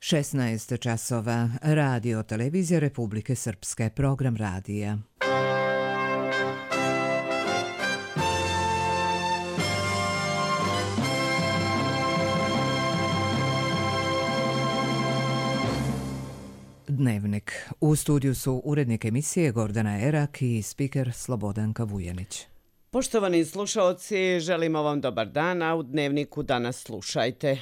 16 časova. Radio Televizija Republike Srpske. Program radija. Dnevnik. U studiju su urednik emisije Gordana Erak i spiker Slobodanka Vujanić. Poštovani slušaoci, želimo vam dobar dan, a u Dnevniku danas slušajte.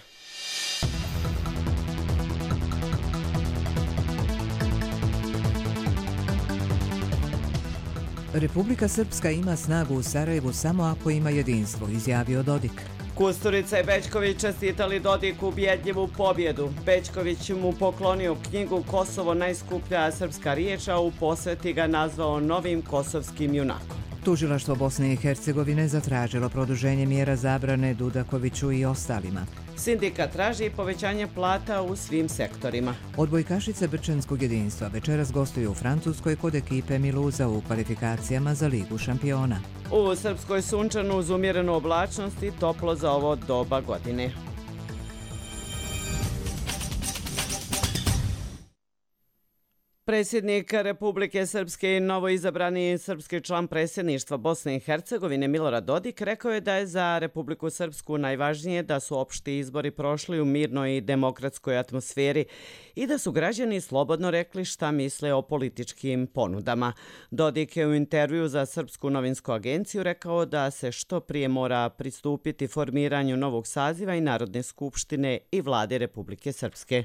Republika Srpska ima snagu u Sarajevu samo ako ima jedinstvo, izjavio Dodik. Kusturica i Bećković čestitali Dodiku ubjedljivu pobjedu. Bećković mu poklonio knjigu Kosovo najskuplja srpska riječ, a u posveti ga nazvao novim kosovskim junakom. Tužilaštvo Bosne i Hercegovine zatražilo produženje mjera zabrane Dudakoviću i ostalima. Sindikat traži povećanje plata u svim sektorima. Odbojkašice Brčanskog jedinstva večeras gostuju u Francuskoj kod ekipe Miluza u kvalifikacijama za Ligu šampiona. U Srpskoj sunčanu uz umjerenu oblačnost i toplo za ovo doba godine. Predsjednik Republike Srpske i novoizabrani srpski član predsjedništva Bosne i Hercegovine Milorad Dodik rekao je da je za Republiku Srpsku najvažnije da su opšti izbori prošli u mirnoj i demokratskoj atmosferi i da su građani slobodno rekli šta misle o političkim ponudama. Dodik je u intervju za Srpsku novinsku agenciju rekao da se što prije mora pristupiti formiranju novog saziva i Narodne skupštine i vlade Republike Srpske.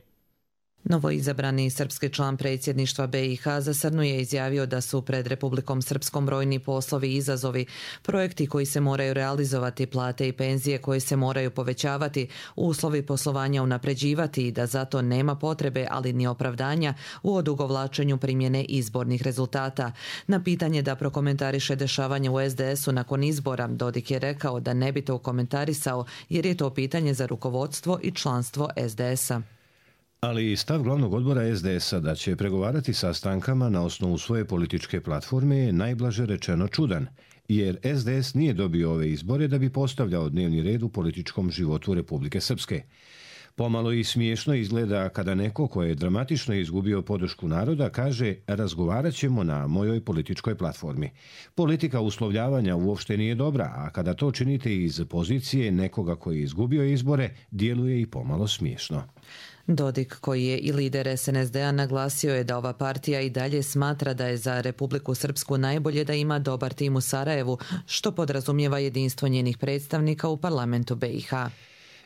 Novoizabrani srpski član predsjedništva BiH za Srnu je izjavio da su pred Republikom Srpskom brojni poslovi i izazovi, projekti koji se moraju realizovati, plate i penzije koje se moraju povećavati, uslovi poslovanja unapređivati i da zato nema potrebe, ali ni opravdanja u odugovlačenju primjene izbornih rezultata. Na pitanje da prokomentariše dešavanje u SDS-u nakon izbora, Dodik je rekao da ne bi to komentarisao jer je to pitanje za rukovodstvo i članstvo SDS-a. Ali stav glavnog odbora SDS-a da će pregovarati sa strankama na osnovu svoje političke platforme je najblaže rečeno čudan, jer SDS nije dobio ove izbore da bi postavljao dnevni red u političkom životu Republike Srpske. Pomalo i smiješno izgleda kada neko ko je dramatično izgubio podršku naroda kaže razgovarat ćemo na mojoj političkoj platformi. Politika uslovljavanja uopšte nije dobra, a kada to činite iz pozicije nekoga koji je izgubio izbore, djeluje i pomalo smiješno. Dodik, koji je i lider SNSD-a, naglasio je da ova partija i dalje smatra da je za Republiku Srpsku najbolje da ima dobar tim u Sarajevu, što podrazumijeva jedinstvo njenih predstavnika u parlamentu BiH.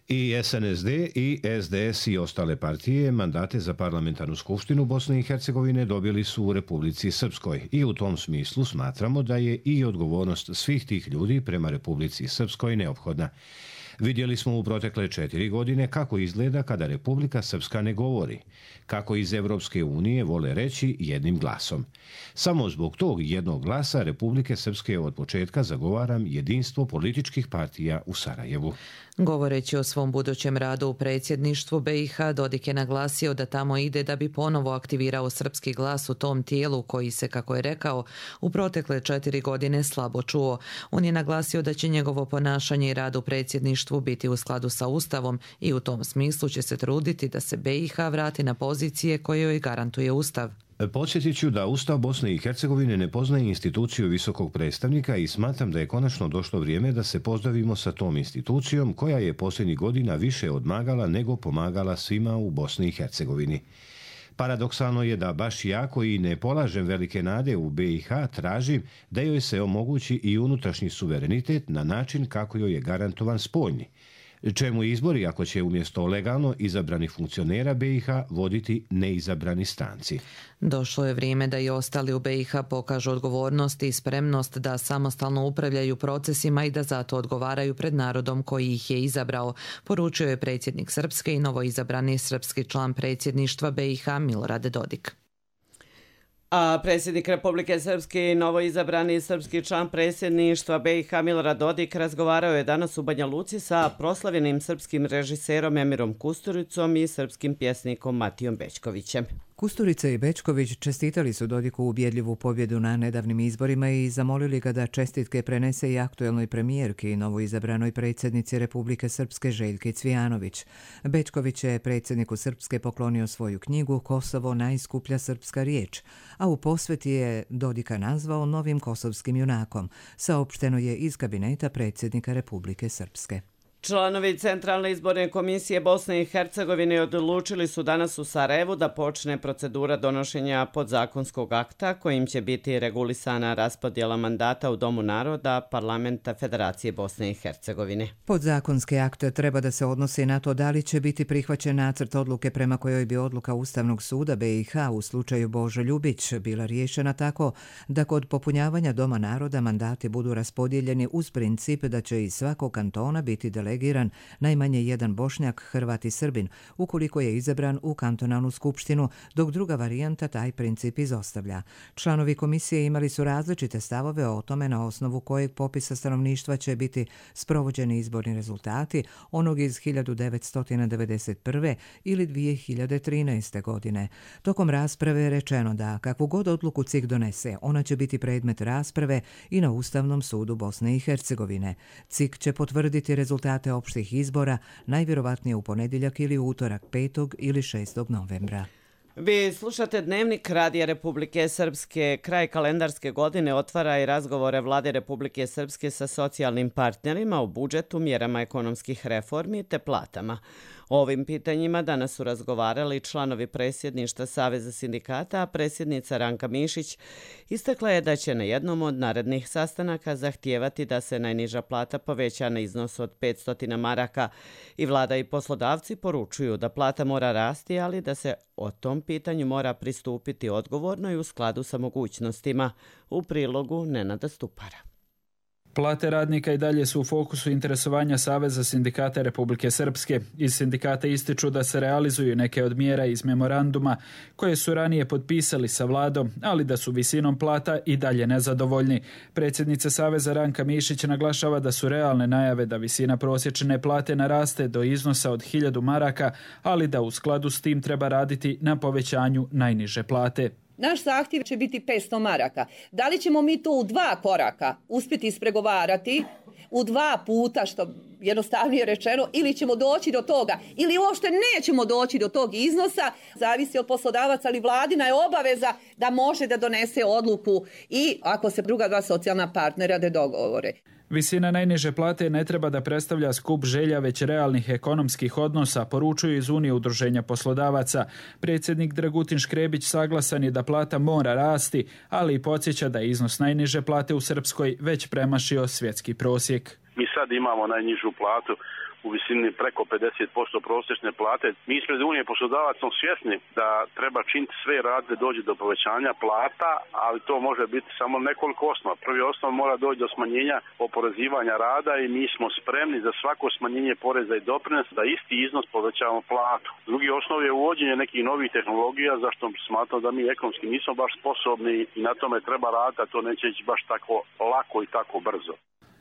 I SNSD i SDS i ostale partije mandate za parlamentarnu skupštinu Bosne i Hercegovine dobili su u Republici Srpskoj i u tom smislu smatramo da je i odgovornost svih tih ljudi prema Republici Srpskoj neophodna. Vidjeli smo u protekle 4 godine kako izgleda kada Republika Srpska ne govori, kako iz Evropske unije vole reći jednim glasom. Samo zbog tog jednog glasa Republike Srpske od početka zagovaram jedinstvo političkih partija u Sarajevu. Govoreći o svom budućem radu u predsjedništvu BiH, Dodik je naglasio da tamo ide da bi ponovo aktivirao srpski glas u tom tijelu koji se, kako je rekao, u protekle 4 godine slabo čuo. On je naglasio da će njegovo ponašanje i rad u predsjedništvu biti u skladu sa Ustavom i u tom smislu će se truditi da se BiH vrati na pozicije koje joj garantuje Ustav. Podsjetit ću da Ustav Bosne i Hercegovine ne poznaje instituciju visokog predstavnika i smatram da je konačno došlo vrijeme da se pozdravimo sa tom institucijom koja je posljednjih godina više odmagala nego pomagala svima u Bosni i Hercegovini. Paradoksalno je da baš ja koji ne polažem velike nade u BiH tražim da joj se omogući i unutrašnji suverenitet na način kako joj je garantovan spoljni. Čemu izbori ako će umjesto legalno izabranih funkcionera BiH voditi neizabrani stranci? Došlo je vrijeme da i ostali u BiH pokažu odgovornost i spremnost da samostalno upravljaju procesima i da zato odgovaraju pred narodom koji ih je izabrao, poručio je predsjednik Srpske i novoizabrani srpski član predsjedništva BiH Milorad Dodik. A predsjednik Republike Srpske i novoizabrani srpski član predsjedništva BiH Milorad Dodik razgovarao je danas u Banja Luci sa proslavljenim srpskim režiserom Emirom Kusturicom i srpskim pjesnikom Matijom Bećkovićem. Kusturica i Bečković čestitali su Dodiku ubjedljivu pobjedu na nedavnim izborima i zamolili ga da čestitke prenese i aktuelnoj premijerki i novoizabranoj predsjednici Republike Srpske Željki Cvijanović. Bečković je predsjedniku Srpske poklonio svoju knjigu Kosovo najskuplja srpska riječ, a u posveti je Dodika nazvao novim kosovskim junakom, saopšteno je iz kabineta predsjednika Republike Srpske. Članovi Centralne izborne komisije Bosne i Hercegovine odlučili su danas u Sarajevu da počne procedura donošenja podzakonskog akta kojim će biti regulisana raspodjela mandata u Domu naroda Parlamenta Federacije Bosne i Hercegovine. Podzakonski akt treba da se odnosi na to da li će biti prihvaćen nacrt odluke prema kojoj bi odluka Ustavnog suda BiH u slučaju Bože Ljubić bila riješena tako da kod popunjavanja Doma naroda mandati budu raspodijeljeni uz princip da će iz svakog kantona biti delegiran najmanje jedan Bošnjak, Hrvat i Srbin, ukoliko je izabran u kantonalnu skupštinu, dok druga varijanta taj princip izostavlja. Članovi komisije imali su različite stavove o tome na osnovu kojeg popisa stanovništva će biti sprovođeni izborni rezultati, onog iz 1991. ili 2013. godine. Tokom rasprave je rečeno da kakvu god odluku CIK donese, ona će biti predmet rasprave i na Ustavnom sudu Bosne i Hercegovine. CIK će potvrditi rezultate opštih izbora, najvjerovatnije u ponedjeljak ili utorak 5. ili 6. novembra. Vi slušate Dnevnik Radija Republike Srpske. Kraj kalendarske godine otvara i razgovore Vlade Republike Srpske sa socijalnim partnerima o budžetu, mjerama ekonomskih reformi te platama. O ovim pitanjima danas su razgovarali članovi predsjedništva Saveza sindikata, a predsjednica Ranka Mišić istakla je da će na jednom od narednih sastanaka zahtijevati da se najniža plata poveća na iznos od 500 maraka i vlada i poslodavci poručuju da plata mora rasti, ali da se o tom pitanju mora pristupiti odgovorno i u skladu sa mogućnostima. U prilogu Nenada Stupara. Plate radnika i dalje su u fokusu interesovanja Saveza sindikata Republike Srpske. Iz sindikata ističu da se realizuju neke od mjera iz memoranduma koje su ranije potpisali sa vladom, ali da su visinom plata i dalje nezadovoljni. Predsjednica Saveza Ranka Mišić naglašava da su realne najave da visina prosječne plate naraste do iznosa od 1000 maraka, ali da u skladu s tim treba raditi na povećanju najniže plate. Naš zahtjev će biti 500 maraka. Da li ćemo mi to u 2 koraka uspjeti ispregovarati, u 2 puta, što jednostavnije rečeno, ili ćemo doći do toga, ili uopšte nećemo doći do tog iznosa, zavisi od poslodavaca, ali vladina je obaveza da može da donese odluku i ako se druga 2 socijalna partnera da dogovore. Visina najniže plate ne treba da predstavlja skup želja, već realnih ekonomskih odnosa, poručuju iz Unije udruženja poslodavaca. Predsjednik Dragutin Škrebić saglasan je da plata mora rasti, ali i podsjeća da je iznos najniže plate u Srpskoj već premašio svjetski prosjek. Mi sad imamo najnižu platu u visini preko 50% prosječne plate. Mi ispred Unije poslodavaca smo svjesni da treba činiti sve rad da dođe do povećanja plata, ali to može biti samo nekoliko osnova. Prvi osnov mora doći do smanjenja oporezivanja rada i mi smo spremni za svako smanjenje poreza i doprinosa da isti iznos povećavamo platu. Drugi osnov je uvođenje nekih novih tehnologija, zašto smatram da mi ekonomski nismo baš sposobni i na tome treba raditi, a to neće ići baš tako lako i tako brzo.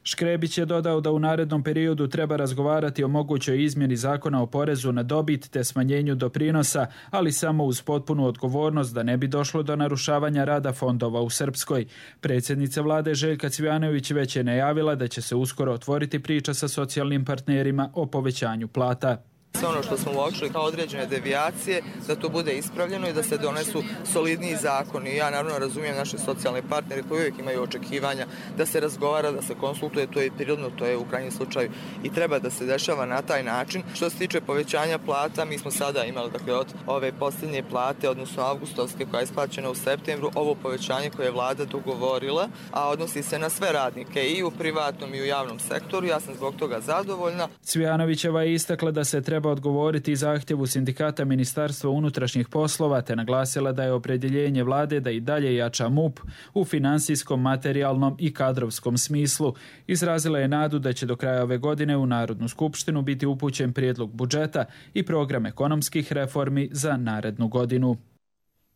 Škrebić je dodao da u narednom periodu treba razgovarati o mogućoj izmjeni zakona o porezu na dobit te smanjenju doprinosa, ali samo uz potpunu odgovornost da ne bi došlo do narušavanja rada fondova u Srpskoj. Predsjednica vlade Željka Cvijanović već je najavila da će se uskoro otvoriti priča sa socijalnim partnerima o povećanju plata. Sve ono što smo uočili kao određene devijacije, da to bude ispravljeno i da se donesu solidniji zakoni. Ja naravno razumijem naše socijalne partnere koji uvijek imaju očekivanja da se razgovara, da se konsultuje, to je prirodno, to je u krajnjem slučaju i treba da se dešava na taj način. Što se tiče povećanja plata, mi smo sada imali od ove posljednje plate, odnosno avgustovske koja je isplaćena u septembru, ovo povećanje koje je vlada dogovorila, a odnosi se na sve radnike i u privatnom i u javnom sektoru. Ja sam zbog toga zadovoljna. Cvijanovićeva je istakla da se treba odgovoriti zahtjevu sindikata Ministarstva unutrašnjih poslova te naglasila da je opredjeljenje vlade da i dalje jača MUP u finansijskom, materijalnom i kadrovskom smislu. Izrazila je nadu da će do kraja ove godine u Narodnu skupštinu biti upućen prijedlog budžeta i program ekonomskih reformi za narednu godinu.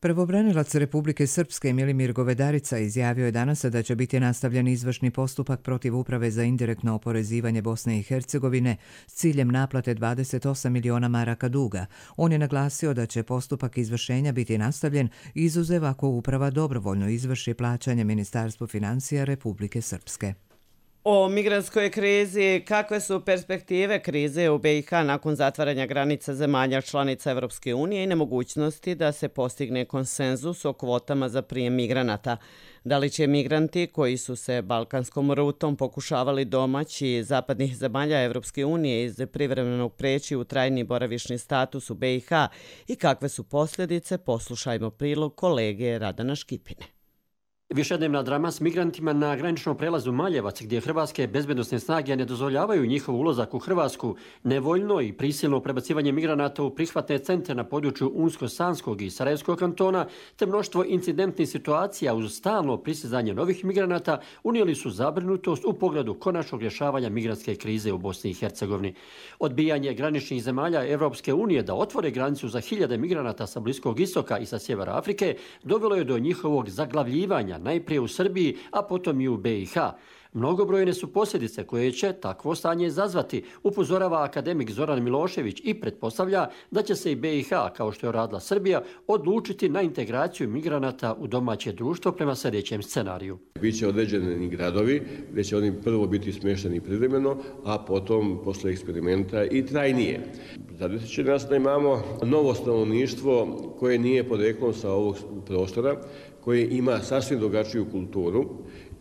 Prvobranilac Republike Srpske Milimir Govedarica izjavio je danas da će biti nastavljen izvršni postupak protiv Uprave za indirektno oporezivanje Bosne i Hercegovine s ciljem naplate 28 miliona maraka duga. On je naglasio da će postupak izvršenja biti nastavljen izuzev ako uprava dobrovoljno izvrši plaćanje Ministarstvu financija Republike Srpske. O migrantskoj krizi, kakve su perspektive krize u BiH nakon zatvaranja granica zemalja članica Evropske unije i nemogućnosti da se postigne konsenzus o kvotama za prijem migranata. Da li će migranti koji su se balkanskom rutom pokušavali domaći zapadnih zemalja Evropske unije iz privremenog preći u trajni boravišni status u BiH i kakve su posljedice, poslušajmo prilog kolege Radana Škipine. Višednevna drama s migrantima na graničnom prelazu Maljevac, gdje hrvatske bezbednosne snage ne dozvoljavaju njihov ulazak u Hrvatsku, nevoljno i prisilno prebacivanje migranata u prihvatne centre na području Unsko-Sanskog i Sarajevskog kantona, te mnoštvo incidentnih situacija uz stalno prisizanje novih migranata unijeli su zabrinutost u pogledu konačnog rješavanja migrantske krize u Bosni i Hercegovini. Odbijanje graničnih zemalja Evropske unije da otvore granicu za hiljade migranata sa Bliskog istoka i sa sjevera Afrike dovelo je do njihovog zaglavljivanja najprije u Srbiji, a potom i u BiH. Mnogobrojne su posljedice koje će takvo stanje izazvati, upozorava akademik Zoran Milošević i pretpostavlja da će se i BiH, kao što je radila Srbija, odlučiti na integraciju migranata u domaće društvo prema sljedećem scenariju. Biće određeni gradovi gdje će oni prvo biti smješteni privremeno, a potom posle eksperimenta i trajnije. Zadesit će nas da imamo novo stanovništvo koje nije poreklom sa ovog prostora, koje ima sasvim drugačiju kulturu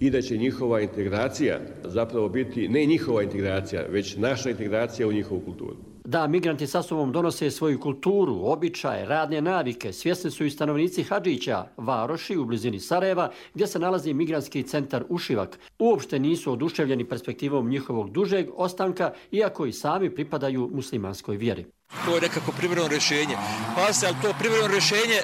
i da će njihova integracija zapravo biti ne njihova integracija, već naša integracija u njihovu kulturu. Da migranti sa sobom donose svoju kulturu, običaje, radne navike, svjesni su i stanovnici Hadžića, varoši u blizini Sarajeva, gdje se nalazi migrantski centar Ušivak. Uopšte nisu oduševljeni perspektivom njihovog dužeg ostanka, iako i sami pripadaju muslimanskoj vjeri. To je nekako privremeno rješenje. Pa se, ali to privremeno rješenje,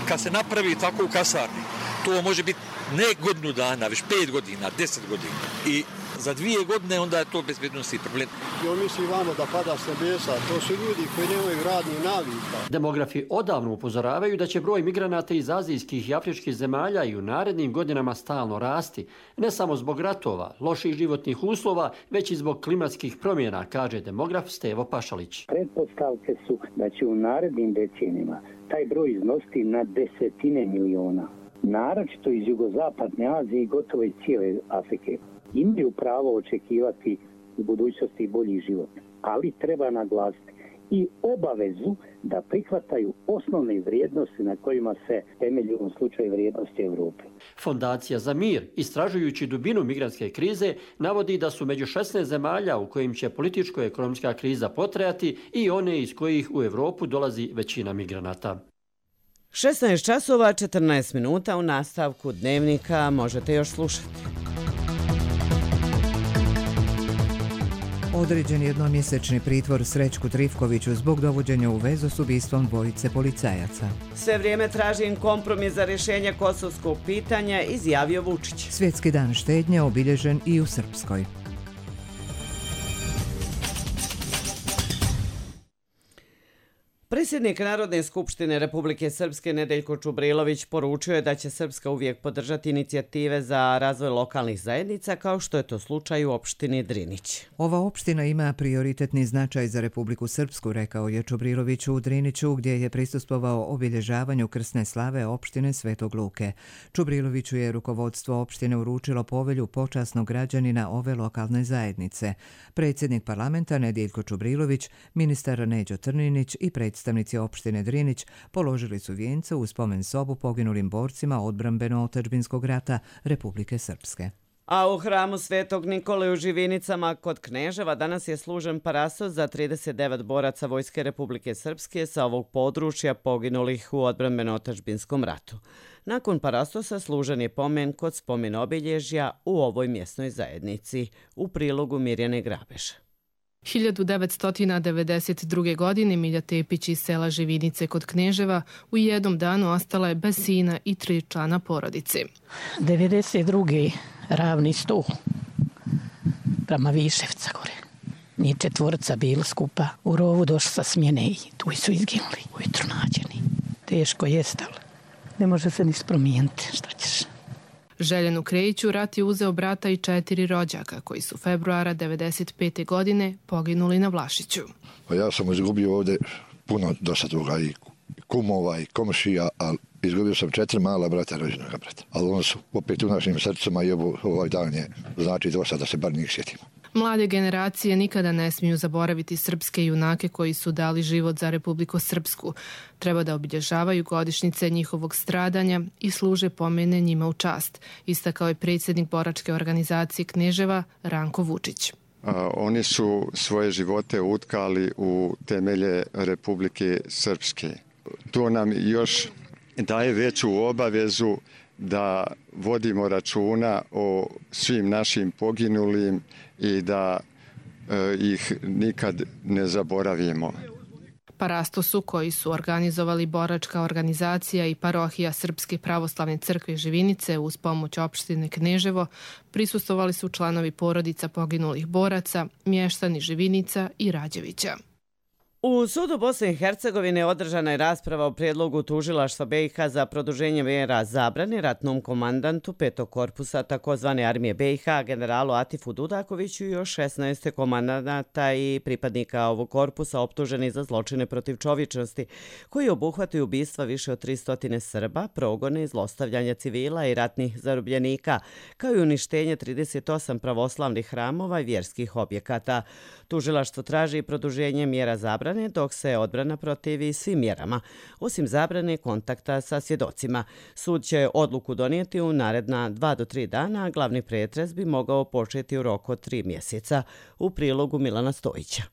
kad se napravi tako u kasarni, to može biti ne godinu dana, već 5 godina, 10 godina. I za 2 godine onda je to bezbednosni problem. On misli vamo da pada s nebesa, to su ljudi koji nemaju radnih navika. Demografi odavno upozoravaju da će broj migranata iz azijskih i afričkih zemalja i u narednim godinama stalno rasti. Ne samo zbog ratova, loših životnih uslova, već i zbog klimatskih promjena, kaže demograf Stevo Pašalić. Pretpostavke su da će u narednim decenijima taj broj iznositi na desetine miliona. Naročito iz jugozapadne Azije i gotovo iz cijele Afrike. Imaju pravo očekivati u budućnosti bolji život, ali treba naglasiti i obavezu da prihvataju osnovne vrijednosti na kojima se temelji u ovom slučaju vrijednosti Europe. Fondacija za mir, istražujući dubinu migrantske krize, navodi da su među 16 zemalja u kojim će političko-ekonomska kriza potrajati i one iz kojih u Europu dolazi većina migranata. 16 časova 14 minuta u nastavku dnevnika možete još slušati. Određen jednomjesečni pritvor Srećku Trifkoviću zbog dovođenja u vezu s ubistvom dvojice policajaca. Sve vrijeme tražim kompromis za rješenje kosovskog pitanja, izjavio Vučić. Svjetski dan štednje obilježen i u Srpskoj. Predsjednik Narodne skupštine Republike Srpske Nedeljko Čubrilović poručio je da će Srpska uvijek podržati inicijative za razvoj lokalnih zajednica, kao što je to slučaj u opštini Drinić. Ova opština ima prioritetni značaj za Republiku Srpsku, rekao je Čubrilović u Driniću, gdje je prisustvovao obilježavanju krsne slave opštine Svetog Luke. Čubriloviću je rukovodstvo opštine uručilo povelju počasnog građanina ove lokalne zajednice. Predsjednik parlamenta Nedeljko Čubrilović, ministar Neđo Trninić i predstavnici opštine Drinić položili su vijence u spomen sobu poginulim borcima odbrambeno-otadžbinskog rata Republike Srpske. A u hramu Svetog Nikole u Živinicama kod Kneževa danas je služen parasos za 39 boraca Vojske Republike Srpske sa ovog područja poginulih u odbrambeno-otadžbinskom ratu. Nakon parasosa služen je pomen kod spomen obilježja u ovoj mjesnoj zajednici. U prilogu Mirjane Grabeša. 1992. godine Milja Tepić iz sela Živinice kod Kneževa u jednom danu ostala je bez sina i 3 člana porodice. 92. ravni stol prema Viševca gore. Ni 4 bilo skupa. U rovu došli sa smjene i tu su izginuli, ujutro nađeni. Teško jest, ali Ne može se ništa promijeniti, šta ćeš. Željanu Krejiću rat je uzeo brata i 4 rođaka koji su februara 1995. godine poginuli na Vlašiću. Pa ja sam izgubio ovdje puno dosta toga i kumova i komšija, ali izgubio sam 4 mala brata, rođenog brata. Ali oni su opet u našim srcima i ovaj dan je znači dosta da se bar njih sjetimo. Mlade generacije nikada ne smiju zaboraviti srpske junake koji su dali život za Republiku Srpsku. Treba da obilježavaju godišnjice njihovog stradanja i služe pomene njima u čast, istakao je predsjednik boračke organizacije Kneževa Ranko Vučić. Oni su svoje živote utkali u temelje Republike Srpske. To nam još daje veću obavezu da vodimo računa o svim našim poginulim i da ih nikad ne zaboravimo. Parastosu koji su organizovali boračka organizacija i parohija Srpske pravoslavne crkve Živinice uz pomoć opštine Kneževo prisustvovali su članovi porodica poginulih boraca, mještani Živinica i Rađevića. U sudu Bosne i Hercegovine održana je rasprava o prijedlogu tužilaštva BiH za produženje mjera zabrane ratnom komandantu 5. korpusa takozvane armije BiH, generalu Atifu Dudakoviću i još 16 komandanata i pripadnika ovog korpusa optuženi za zločine protiv čovječnosti, koji obuhvataju ubistva više od 300 Srba, progone i zlostavljanja civila i ratnih zarobljenika, kao i uništenje 38 pravoslavnih hramova i vjerskih objekata. Tužilaštvo traži produženje mjera zabrane, dok se odbrana protivi svim mjerama, osim zabrane kontakta sa svjedocima. Sud će odluku donijeti u naredna 2 do 3 dana, a glavni pretres bi mogao početi u roku od 3 mjeseca. U prilogu Milana Stojića.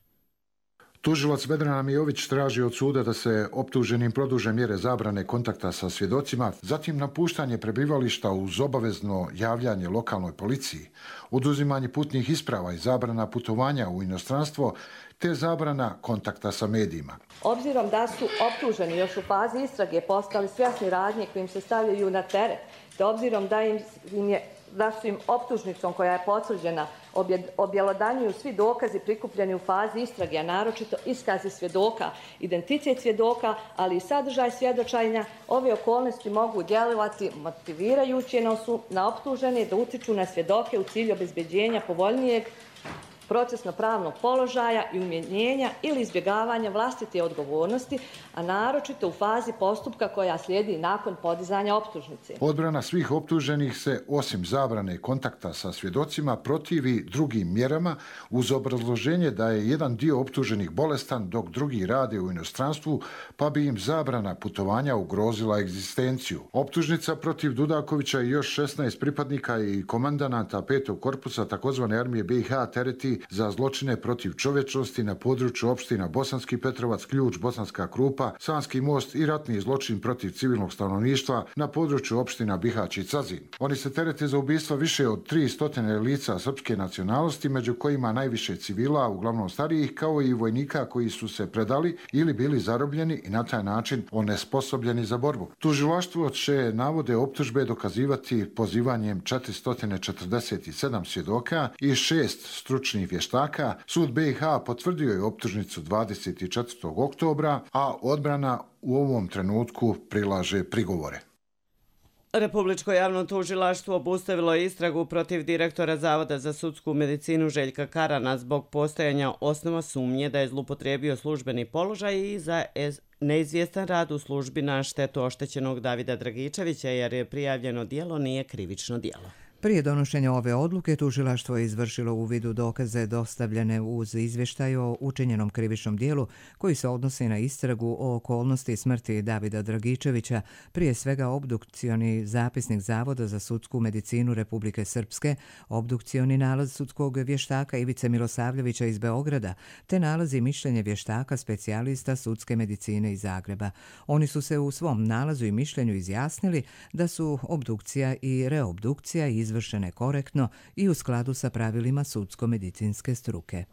Tužilac Vedrana Mijović traži od suda da se optuženim produže mjere zabrane kontakta sa svjedocima, zatim napuštanje prebivališta uz obavezno javljanje lokalnoj policiji, oduzimanje putnih isprava i zabrana putovanja u inostranstvo, te zabrana kontakta sa medijima. Obzirom da su optuženi još u fazi istrage postali svjesni radnje kojim se stavljaju na teret, te obzirom da su im optužnicom koja je potvrđena objelodanjuju svi dokazi prikupljeni u fazi istrage, a naročito iskazi svjedoka, identitet svjedoka, ali i sadržaj svjedočenja, ove okolnosti mogu djelovati motivirajuće na optužene da utiču na svjedoke u cilju obezbeđenja povoljnijeg procesno-pravnog položaja i umjenjenja ili izbjegavanja vlastite odgovornosti, a naročito u fazi postupka koja slijedi nakon podizanja optužnice. Odbrana svih optuženih se, osim zabrane kontakta sa svjedocima, protivi drugim mjerama uz obrazloženje da je jedan dio optuženih bolestan dok drugi rade u inostranstvu, pa bi im zabrana putovanja ugrozila egzistenciju. Optužnica protiv Dudakovića i još 16 pripadnika i komandanata 5. korpusa takozvane armije BiH tereti za zločine protiv čovječnosti na području opština Bosanski Petrovac, Ključ, Bosanska Krupa, Sanski most i ratni zločin protiv civilnog stanovništva na području opština Bihać i Cazin. Oni se terete za ubistva više od 300 lica srpske nacionalnosti, među kojima najviše civila, uglavnom starijih, kao i vojnika koji su se predali ili bili zarobljeni i na taj način onesposobljeni za borbu. Tužilaštvo će navode optužbe dokazivati pozivanjem 447 svjedoka i 6 stručnih vještaka. Sud BiH potvrdio je optužnicu 24. oktobra, a odbrana u ovom trenutku prilaže prigovore. Republičko javno tužilaštvo obustavilo je istragu protiv direktora Zavoda za sudsku medicinu Željka Karana zbog postojanja osnova sumnje da je zloupotrijebio službeni položaj i za neizvjestan rad u službi na štetu oštećenog Davida Dragičevića, jer je prijavljeno djelo nije krivično djelo. Prije donošenja ove odluke, tužilaštvo je izvršilo uvid u dokaze dostavljene uz izvještaj o učinjenom krivičnom dijelu koji se odnosi na istragu o okolnosti smrti Davida Dragičevića, prije svega obdukcioni zapisnik Zavoda za sudsku medicinu Republike Srpske, obdukcioni nalaz sudskog vještaka Ivice Milosavljevića iz Beograda, te nalazi mišljenje vještaka specijalista sudske medicine iz Zagreba. Oni su se u svom nalazu i mišljenju izjasnili da su obdukcija i reobdukcija izvršene korektno i u skladu sa pravilima sudsko-medicinske struke.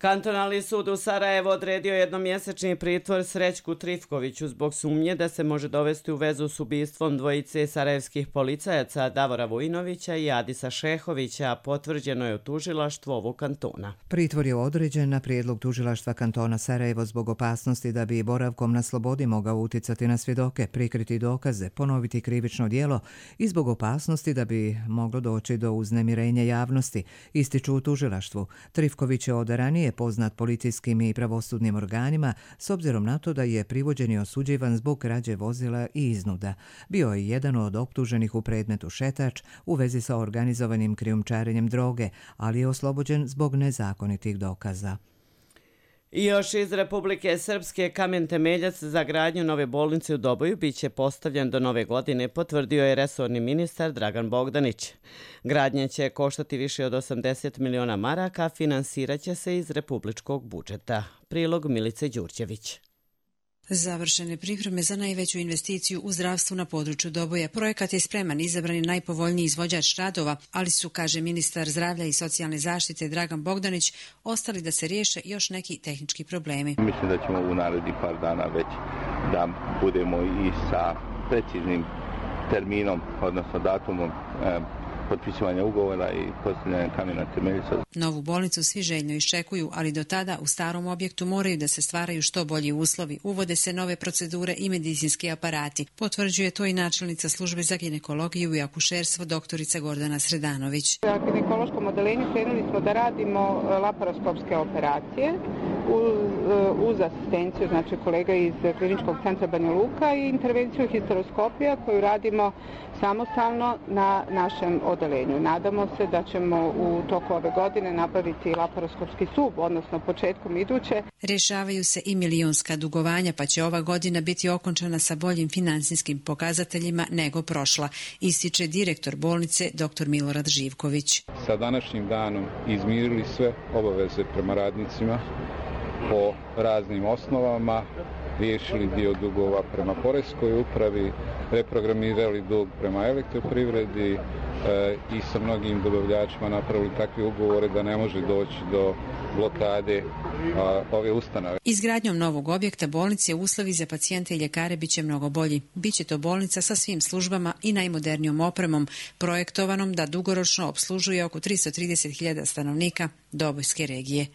Kantonalni sud u Sarajevu odredio jednomjesečni pritvor Srećku Trifkoviću zbog sumnje da se može dovesti u vezu s ubistvom dvojice sarajevskih policajaca Davora Vujinovića i Adisa Šehovića, potvrđeno je u tužilaštvu ovog kantona. Pritvor je određen na prijedlog tužilaštva kantona Sarajevo zbog opasnosti da bi boravkom na slobodi mogao uticati na svjedoke, prikriti dokaze, ponoviti krivično djelo i zbog opasnosti da bi moglo doći do uznemirenja javnosti, ističu u tužilaštvu. Trifković je od ranije poznat policijskim i pravosudnim organima s obzirom na to da je privođen i osuđivan zbog krađe vozila i iznuda. Bio je jedan od optuženih u predmetu Šetač u vezi sa organizovanim krijumčarenjem droge, ali je oslobođen zbog nezakonitih dokaza. I još iz Republike Srpske kamen temeljac za gradnju nove bolnice u Doboju biće postavljen do nove godine, potvrdio je resorni ministar Dragan Bogdanić. Gradnja će koštati više od 80 miliona maraka, finansirat će se iz republičkog budžeta. Prilog Milice Đurđević. Završene pripreme za najveću investiciju u zdravstvu na području Doboja. Projekat je spreman, izabran je najpovoljniji izvođač radova, ali su, kaže ministar zdravlja i socijalne zaštite Dragan Bogdanić, ostali da se riješe još neki tehnički problemi. Mislim da ćemo u narednih par dana već da budemo i sa preciznim terminom, odnosno datumom potpisivanja ugovora i postavljanja kamena temeljica. Novu bolnicu svi željno iščekuju, ali do tada u starom objektu moraju da se stvaraju što bolji uslovi. Uvode se nove procedure i medicinski aparati. Potvrđuje to i načelnica službe za ginekologiju i akušerstvo doktorica Gordana Sredanović. Na ginekološkom odeljenju krenuli smo da radimo laparoskopske operacije uz asistenciju, znači kolega iz kliničkog centra Banja Luka i intervenciju histeroskopija koju radimo samostalno na našem odeljenju. Nadamo se da ćemo u toku ove godine napraviti laparoskopski sub, odnosno početkom iduće. Rješavaju se i milionska dugovanja, pa će ova godina biti okončana sa boljim financijskim pokazateljima nego prošla, ističe direktor bolnice dr. Milorad Živković. Sa današnjim danom izmirili sve obaveze prema radnicima po raznim osnovama, riješili dio dugova prema poreskoj upravi, reprogramirali dug prema elektroprivredi i sa mnogim dobavljačima napravili takve ugovore da ne može doći do blokade ove ustanove. Izgradnjom novog objekta bolnice uslovi za pacijente i ljekare biće mnogo bolji. Biće to bolnica sa svim službama i najmodernijom opremom, projektovanom da dugoročno opslužuje oko 330.000 stanovnika Dobojske regije.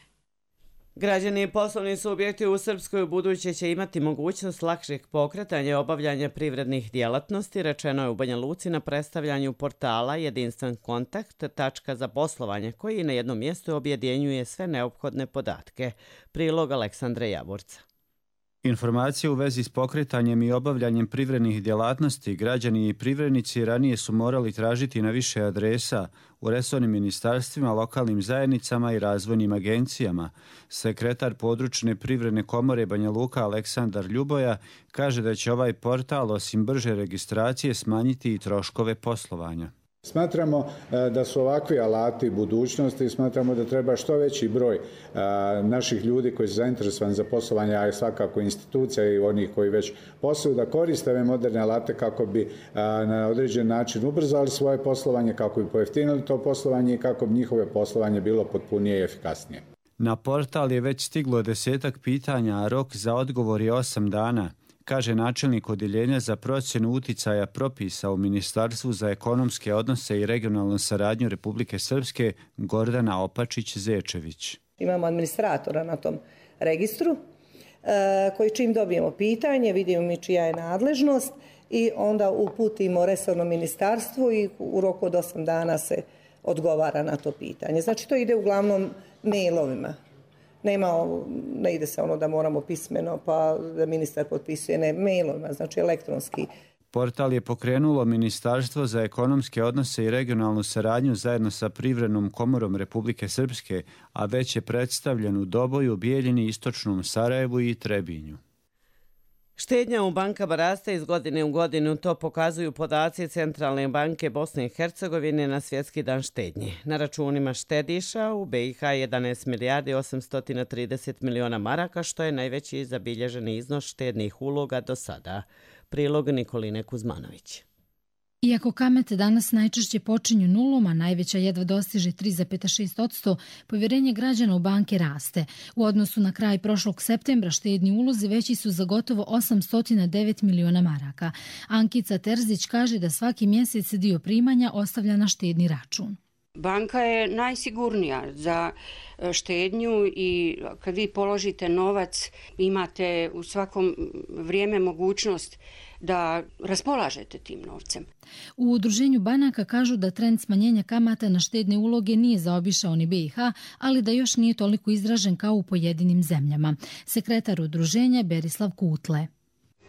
Građani i poslovni subjekti u Srpskoj ubuduće će imati mogućnost lakšeg pokretanja i obavljanja privrednih djelatnosti, rečeno je u Banja Luci na predstavljanju portala Jedinstven kontakt, tačka za poslovanje, koji na jednom mjestu objedinjuje sve neophodne podatke. Prilog Aleksandre Javorca. Informacije u vezi s pokretanjem i obavljanjem privrednih djelatnosti građani i privrednici ranije su morali tražiti na više adresa u resornim ministarstvima, lokalnim zajednicama i razvojnim agencijama. Sekretar područne privredne komore Banja Luka Aleksandar Ljuboja kaže da će ovaj portal osim brže registracije smanjiti i troškove poslovanja. Smatramo da su ovakvi alati budućnosti i smatramo da treba što veći broj naših ljudi koji su zainteresovani za poslovanje, a svakako institucija i onih koji već posluju, da koriste ove moderne alate kako bi na određen način ubrzali svoje poslovanje, kako bi pojeftinili to poslovanje i kako bi njihove poslovanje bilo potpunije i efikasnije. Na portal je već stiglo 10 pitanja, a rok za odgovor je 8 dana. Kaže načelnik odjeljenja za procjenu uticaja propisa u Ministarstvu za ekonomske odnose i regionalnu saradnju Republike Srpske Gordana Opačić-Zečević. Imamo administratora na tom registru koji čim dobijemo pitanje, vidimo mi čija je nadležnost i onda uputimo resorno ministarstvu i u roku od 8 dana se odgovara na to pitanje. Znači to ide uglavnom mailovima. Ne ide se ono da moramo pismeno pa da ministar potpisuje, ne, mailom, znači elektronski. Portal je pokrenulo Ministarstvo za ekonomske odnose i regionalnu saradnju zajedno sa Privrednom komorom Republike Srpske, a već je predstavljen u Doboju, Bijeljini, Istočnom Sarajevu i Trebinju. Štednja u bankama raste iz godine u godinu, to pokazuju podaci Centralne banke Bosne i Hercegovine na Svjetski dan štednje. Na računima štediša u BiH 11 milijardi 830 miliona maraka, što je najveći zabilježeni iznos štednih uloga do sada. Prilog Nikoline Kuzmanović. Iako kamate danas najčešće počinju nulom, a najveća jedva dostiže 3,6%, povjerenje građana u banke raste. U odnosu na kraj prošlog septembra štedni ulozi veći su za gotovo 809 miliona maraka. Ankica Terzić kaže da svaki mjesec dio primanja ostavlja na štedni račun. Banka je najsigurnija za štednju i kad vi položite novac imate u svakom vrijeme mogućnost da raspolažete tim novcem. U udruženju banaka kažu da trend smanjenja kamata na štedne uloge nije zaobišao ni BiH, ali da još nije toliko izražen kao u pojedinim zemljama. Sekretar udruženja Berislav Kutle.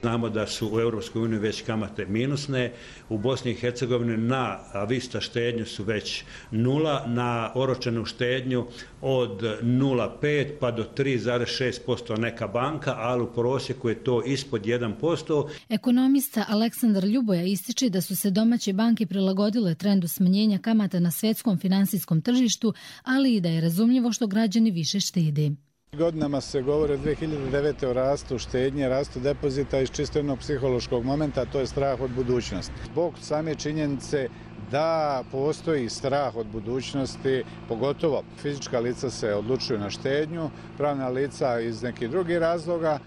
Znamo da su u EU već kamate minusne, u Bosni i Hercegovini na vista štednju su već nula, na oročenu štednju od 0,5 pa do 3,6% neka banka, ali u prosjeku je to ispod 1%. Ekonomista Aleksandar Ljuboja ističe da su se domaće banke prilagodile trendu smanjenja kamata na svjetskom finansijskom tržištu, ali i da je razumljivo što građani više štede. Godinama se govori od 2009. o rastu štednje, rastu depozita iz čisto jednog psihološkog momenta, to je strah od budućnosti. Zbog same činjenice da postoji strah od budućnosti, pogotovo fizička lica se odlučuju na štednju, pravna lica iz nekih drugih razloga.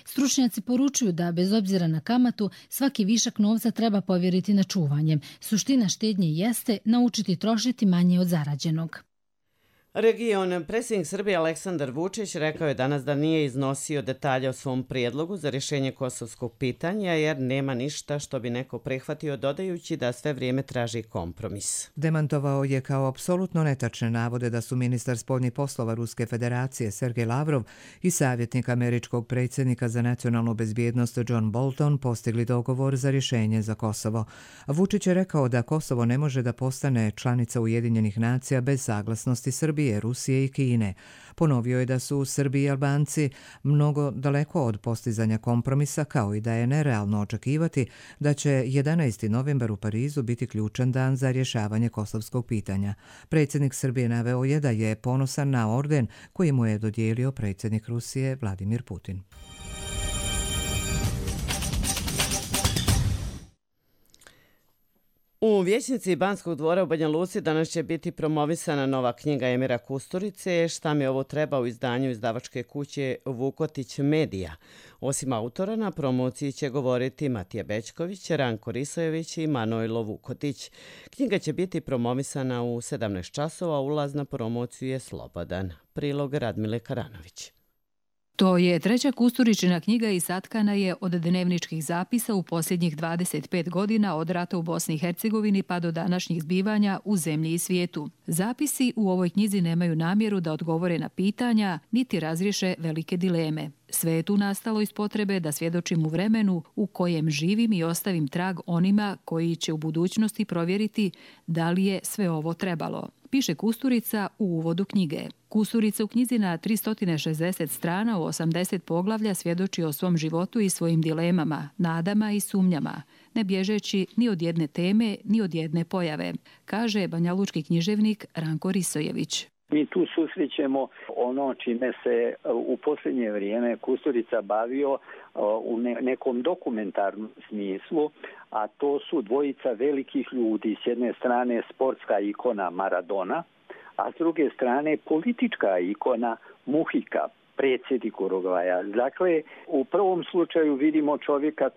Stručnjaci poručuju da, bez obzira na kamatu, svaki višak novca treba povjeriti na čuvanje. Suština štednje jeste naučiti trošiti manje od zarađenog. Predsjednik Srbije Aleksandar Vučić rekao je danas da nije iznosio detalje o svom prijedlogu za rješenje kosovskog pitanja jer nema ništa što bi neko prihvatio, dodajući da sve vrijeme traži kompromis. Demantovao je kao apsolutno netačne navode da su ministar spoljnih poslova Ruske federacije Sergej Lavrov i savjetnik američkog predsjednika za nacionalnu bezbjednost John Bolton postigli dogovor za rješenje za Kosovo. Vučić je rekao da Kosovo ne može da postane članica Ujedinjenih nacija bez saglasnosti Srbije, Rusije i Kine. Ponovio je da su Srbi i Albanci mnogo daleko od postizanja kompromisa, kao i da je nerealno očekivati da će 11. novembar u Parizu biti ključan dan za rješavanje kosovskog pitanja. Predsjednik Srbije naveo je da je ponosan na orden koji mu je dodijelio predsjednik Rusije Vladimir Putin. U vijećnici Banskog dvora u Banja Luci danas će biti promovisana nova knjiga Emira Kusturice Šta mi ovo treba u izdanju izdavačke kuće Vukotić Medija. Osim autora, na promociji će govoriti Matija Bećković, Ranko Risojević i Manojlo Vukotić. Knjiga će biti promovisana u 17 časova, ulaz na promociju je slobodan. Prilog Radmile Karanović. To je treća Kusturičina knjiga i satkana je od dnevničkih zapisa u posljednjih 25 godina od rata u Bosni i Hercegovini pa do današnjih zbivanja u zemlji i svijetu. Zapisi u ovoj knjizi nemaju namjeru da odgovore na pitanja niti razriješe velike dileme. Sve je tu nastalo iz potrebe da svjedočim u vremenu u kojem živim i ostavim trag onima koji će u budućnosti provjeriti da li je sve ovo trebalo, piše Kusturica u uvodu knjige. Kusturica u knjizi na 360 strana u 80 poglavlja svjedoči o svom životu i svojim dilemama, nadama i sumnjama, ne bježeći ni od jedne teme, ni od jedne pojave, kaže banjalučki književnik Ranko Risojević. Mi tu susrećemo ono čime se u posljednje vrijeme Kusturica bavio u nekom dokumentarnom smislu, a to su dvojica velikih ljudi. S jedne strane sportska ikona Maradona, a s druge strane politička ikona Muhika, predsjednik Urugvaja. Dakle, u prvom slučaju vidimo čovjeka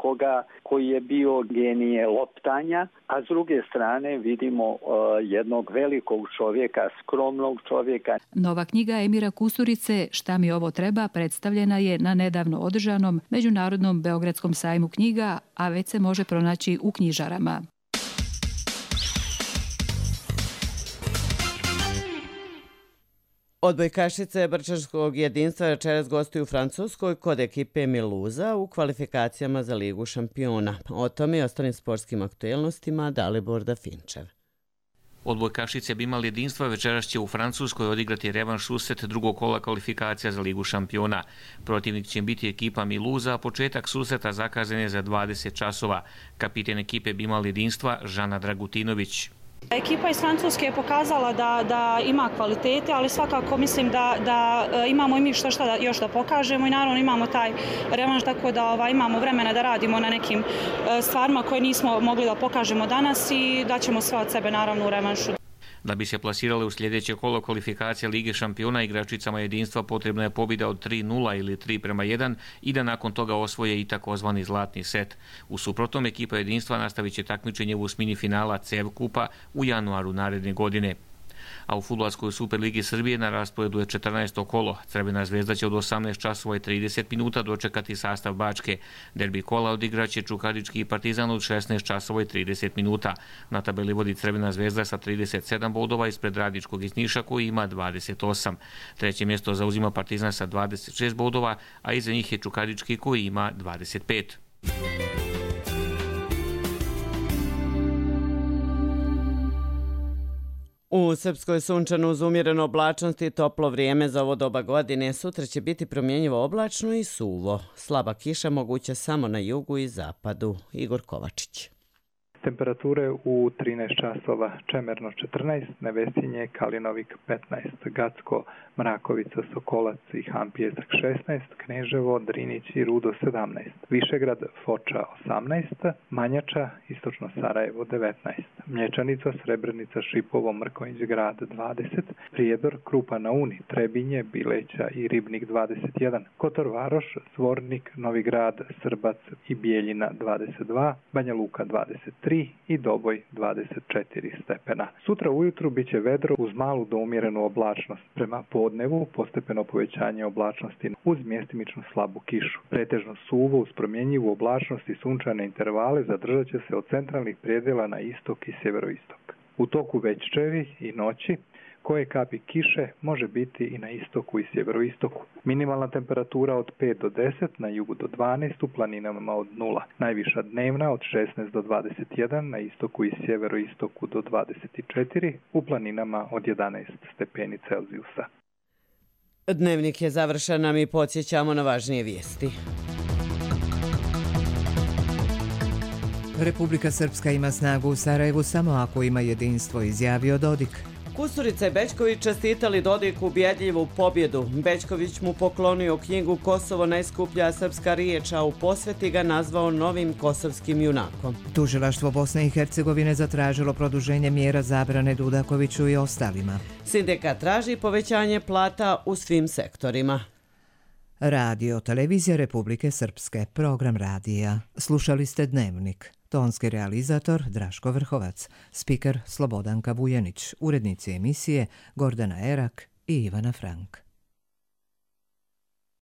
koji je bio genije loptanja, a s druge strane vidimo jednog velikog čovjeka, skromnog čovjeka. Nova knjiga Emira Kusturice Šta mi ovo treba predstavljena je na nedavno održanom Međunarodnom Beogradskom sajmu knjiga, a već se može pronaći u knjižarama. Odbojkašice Brčanskog jedinstva večeras gostuju u Francuskoj kod ekipe Miluza u kvalifikacijama za Ligu šampiona. O tome i ostalim sportskim aktuelnostima Dalibor Dafinčev. Odbojkašice bi imali jedinstva večeras će u Francuskoj odigrati revanš susret drugog kola kvalifikacija za Ligu šampiona. Protivnik će biti ekipa Miluza, a početak susreta zakazan je za 20 časova. Kapiten ekipe bi imali jedinstva Žana Dragutinović. Ekipa iz Francuske je pokazala da ima kvalitete, ali svakako mislim da imamo i mi što još da pokažemo i naravno imamo taj revanš, tako da imamo vremena da radimo na nekim stvarima koje nismo mogli da pokažemo danas i da ćemo sve od sebe naravno u revanšu. Da bi se plasirale u sljedeće kolo kvalifikacije Lige šampiona, igračicama jedinstva potrebna je pobjeda od 3-0 ili 3-1 i da nakon toga osvoje i takozvani zlatni set. U suprotnom, ekipa jedinstva nastavit će takmičenje u osmini finala CEV kupa u januaru naredne godine. A u fudbalskoj Superligi Srbije na rasporedu je 14. kolo. Crvena zvezda će od 18 časova i 30 minuta dočekati sastav Bačke. Derbi kola odigraće Čukarički i Partizan od 16 časova i 30 minuta. Na tabeli vodi Crvena zvezda sa 37 bodova ispred Radničkog iz Niša koji ima 28. Treće mjesto zauzima Partizan sa 26 bodova, a iza njih je Čukarički koji ima 25. U Srpskoj sunčano uz umjerenu oblačnost i toplo vrijeme za ovo doba godine. Sutra će biti promjenjivo oblačno i suvo. Slaba kiša moguća samo na jugu i zapadu. Igor Kovačić. Temperature u 13 časova: Čemerno 14, Nevesinje, Kalinovik 15, Gacko, Mrakovica, Sokolac i Hampjesak 16, Kneževo, Drinić i Rudo 17, Višegrad, Foča 18, Manjača, Istočno Sarajevo 19, Mlječanica, Srebrenica, Šipovo, Mrkonjić Grad 20, Prijedor, Krupa na Uni, Trebinje, Bileća i Ribnik 21, Kotor Varoš, Zvornik, Novi Grad, Srbac i Bijeljina 22, Banja Luka 23 i Doboj 24 stepena. Sutra ujutru biće vedro uz malu do umjerenu oblačnost. Prema podnevu postepeno povećanje oblačnosti uz mjestimičnu slabu kišu. Pretežno suvo uz promjenjivu oblačnost i sunčane intervale zadržat će se od centralnih predjela na istok i sjeveroistok. U toku večeri i noći koje kapi kiše može biti i na istoku i sjeveroistoku. Minimalna temperatura od 5 do 10, na jugu do 12, u planinama od 0. Najviša dnevna od 16 do 21, na istoku i sjeveroistoku do 24, u planinama od 11 stepeni Celzijusa. Dnevnik je završen, a mi podsjećamo na važnije vijesti. Republika Srpska ima snagu u Sarajevu samo ako ima jedinstvo, izjavio Dodik. Kusturica i Bećković čestitali Dodiku ubjedljivu pobjedu. Bećković mu poklonio knjigu Kosovo najskuplja srpska riječ, a u posveti ga nazvao novim kosovskim junakom. Tužilaštvo Bosne i Hercegovine zatražilo produženje mjera zabrane Dudakoviću i ostalima. Sindikat traži povećanje plata u svim sektorima. Radio Televizija Republike Srpske, program radija. Slušali ste Dnevnik. Tonski realizator Draško Vrhovac, spiker Slobodanka Vujanić, urednici emisije Gordana Erak i Ivana Frank.